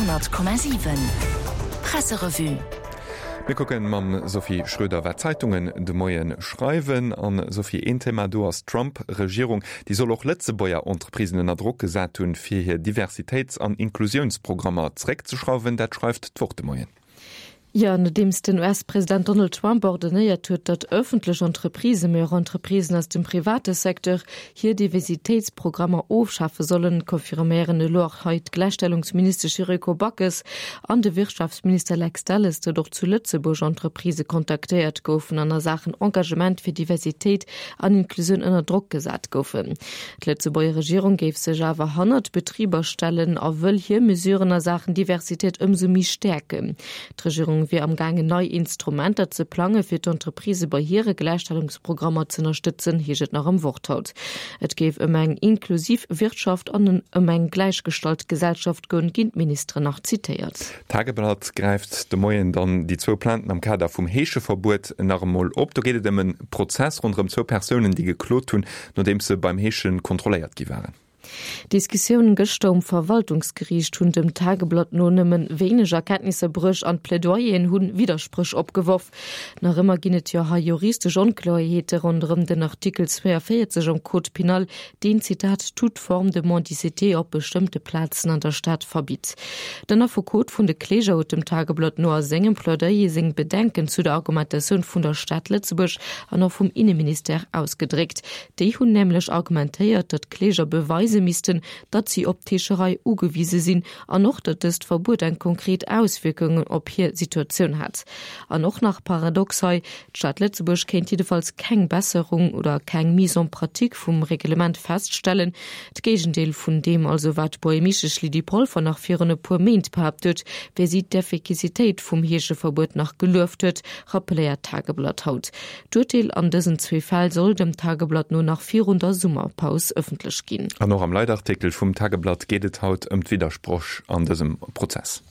100,7 Presserevue. Mir kucken mam Sophie Schröder, wat d'Zeitungen de Moien schreiwen. An Sophie, een Thema do ass d'Trump-Regierung. Déi soll och Lëtzebuerger Entreprisen ënner Drock gesat hunn, fir hir Diversitéits an Inklusiounsprogrammer zeréckzeschrauwen. Dat schreift d'Wort de Moien. Jo, nodeems den US-President Donald Trump ordonéiert huet, datt ëffentlech Entreprisen, mee och Entreprisen aus dem private Secteur hir Diversitéitsprogrammer ofschafe sollen, confirméieren elo och hei d'Gläichstellungsministesch Yuriko Backes an de Wirtschaftsminister Lex Delles, datt och zu Lëtzebuerg Entreprisë kontaktéiert goufen an a Saachen Engagement fir Diversitéit an Inklusioun ënner Drock gesat goufen. D'Lëtzebuerger Regierung géif sech awer hannert d'Betriber stellen a wëll hir Mesuren a Saachen Diversitéit ëmsou méi stäerken. D'Regierung wier am gaangen nei Instrumenter ze plange fir d'Entreprisë bei hire Gläichstellungsprogrammer z'ënnerstëtzen, heescht et nach am Wort haut. Et géif ëm eng inklusiv Wirtschaft an ëm eng gläichgestallt Gesellschaft goen, ginn d'Ministeren nach zitéiert. D'Tageblatt gräift de Moien dann déi zwou Plainten am Kader vum Heescheverbuet nach emol op. Do geet et ëm e Prozess ronderëm zwou Persounen, déi geklot hunn, nodeems se beim Heesche kontrolléiert gi waren. D'Diskussiounen gëschter um Verwaltungsgeriicht hunn dem Tageblatt no nëmmen wéineg Erkenntnisser bruecht an d'Plädoyeren hunn Widderspréch opgeworf. Nach ëmmer ginn et jo hei juristesch Onkloerheete ronderëm den Artikel 42 am Code pénal, deen, Zitat, toute forme de mendicité op bestëmmte Plazen an der Stad verbitt. Den Affekot vun de Kläger huet dem Tageblatt no a sengem Plädoyer seng Bedenken zu der Argumentatioun vun der Stad Lëtzebuerg an och vum Inneministère ausgedréckt. Déi hunn nämlech argumentéiert, datt d'Kläger beweise missten, datt si op d'Heescherei ugewise sinn an och, datt dëst Verbuet eng konkret Auswierkungen op hir Situatioun hätt. An och nach paradox hei, D'Stad Lëtzebuerg kéint jiddefalls keng Besserung oder keng Mise en pratique vum Reglement feststellen. D'Géigendeel vun deem also, wat d'Buergermeeschtesch Lydie Polfer nach virun e puer Méint behaapt huet, wéi si d'Effekicitéit vum Heescheverbuet nach gelueft huet, rappeléiert d'Tageblatt haut. D'Urteel an dësen zwee Fäll soll dem Tageblatt no nach virun der Summerpaus ëffentlech ginn. An och am Leitartikel vum Tageblatt geet et haut ëm d'Widdersproch an dësem Prozess.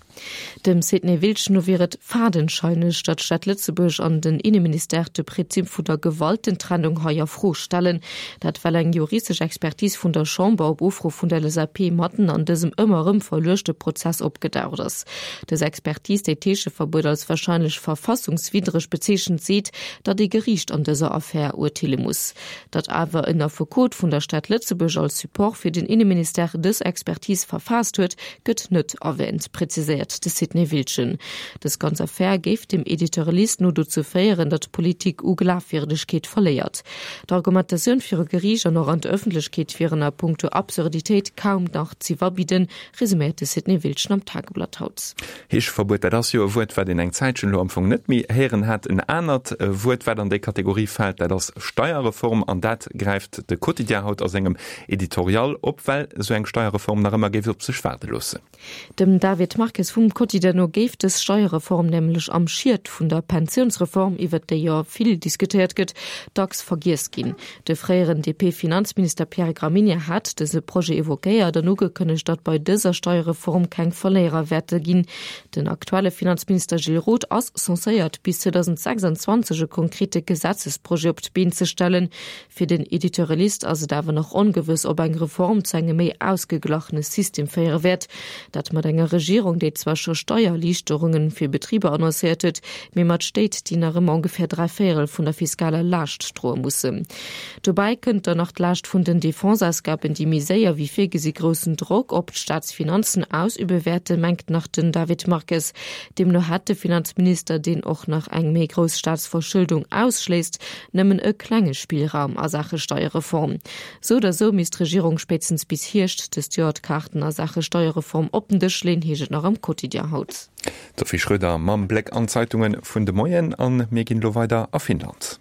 Dem Sidney Wiltsch no wier et fadenscheineg, datt d'Stad Lëtzebuerg an den Inneministère de Prinzip vun der Gewaltentrennung hei a Fro stellen. Dat well eng juristesch Expertise vun der Chamber op Ufro vun der LSAP matten an dësem ëmmer erëm verluechte Prozess opgedaucht ass. Dës Expertise, déi d'Heescheverbuet als warscheinlech verfassungswiddreg bezeechent, seet, datt ee Geriicht an dëser Affär urteele muss. Datt awer en Affekot vun der Stad Lëtzebuerg als Support fir den Inneministère dës Expertise verfaasst huet, gëtt net erwäänt, präziséiert de Sidney Wiltgen. Dës ganz Affär géif dem Editorialist no dozou féieren, datt d'Politik u Glafwierdegkeet verléiert. D'Argumentatioun viru Geriicht an och an d'Ëffentlechkeet wieren a punkto Absurditéit kaum nach z'iwwerbidden, resuméiert de Sidney Wiltgen am Tageblatt haut. Heescheverbuet, dat ass jo e Wuert, wat een eng Zäitchen elo am Fong net méi héieren hat. En anert Wuert, wat an déi Kategorie fält, dat ass Steierreform. An dat gräift de Quotidien haut a sengem Editorial op, well esou eng Steierreform nach ëmmer géif op sech waarde loossen. Dem David Marques vum Quotidien no géif dës Steierreform nämlech am Schiet vun der Pensiounsreform, iwwert déi jo vill diskutéiert gëtt, dacks vergiess ginn. De fréieren DP-Finanzminister Pierre Gramegna hat dëse Projet evoquéiert an ugekënnegt, datt bei dëser Steierreform keng Verléierer wäerte ginn. Den aktuelle Finanzminister Gilles Roth ass censéiert, bis 2026 e konkrete Gesetzesprojet op d'Been ze stellen. Fir den Editorialist ass et awer nach ongewëss, ob eng Reform zu engem méi ausgeglachene System féiere wäert. Dat mat enger Regierung, déi zwar scho Steiererliichterunge fir Betriber annoncéiert huet, mee mat Stéit, déi nach ëmmer ongeféier dräivéierel vun der fiskaler Laascht droe mussen. Dobäi kënnt dann nach d'Laascht vun den Defenseausgaben, déi méi séier wéi virgesi groussen Drock op d'Staatsfinanzen ausübe wäerten, mengt nach den David Marques. Deemno hätt de Finanzminister, deen och nach eng méi grouss Staatsverschëldung ausschléisst, nëmmen e klenge Spillraum a Saache Steierreform. Sou oder sou misst d'Regierung spéitstens bis Hierscht dëst Joer d'Kaarten a Saache Steierreform op den Dësch leen, heescht et nach am Quotidien haut. D'Sophie Schröder mam Bléck an d'Zeitunge vun de Moien. A mir ginn elo weider a Finnland.